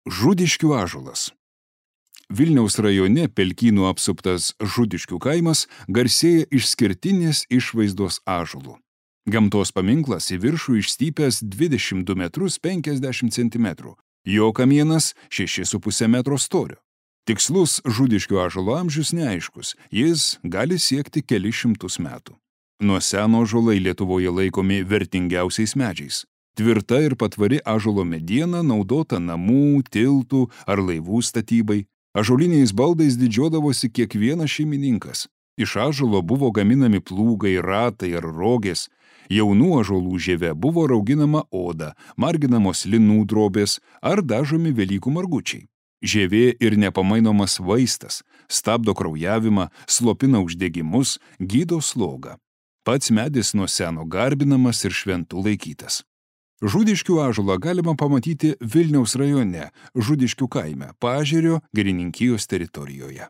Žudiškių ąžuolas. Vilniaus rajone Pelkynų apsuptas Žudiškių kaimas garsėja išskirtinės išvaizdos ąžuolų. Gamtos paminklas į viršų išstypęs 22 metrus 50 centimetrų, jo kamienas 6,5 metro storio. Tikslus Žudiškių ąžuolo amžius neaiškus, jis gali siekti kelis šimtus metų. Nuo seno ąžuolai Lietuvoje laikomi vertingiausiais medžiais. Tvirta ir patvari ąžuolo mediena naudota namų, tiltų ar laivų statybai. Ąžuoliniais baldais didžiuodavosi kiekvienas šeimininkas. Iš ąžuolo buvo gaminami plūgai, ratai ar rogės. Jaunų ąžuolų žieve buvo rauginama oda, marginamos linų drobės ar dažomi Velykų margučiai. Žievė ir nepamainomas vaistas, stabdo kraujavimą, slopina uždegimus, gydo slogą. Pats medis nuo seno garbinamas ir šventų laikytas. Žudiškių ąžuolą galima pamatyti Vilniaus rajone, Žudiškių kaime, Paežerio girininkijos teritorijoje.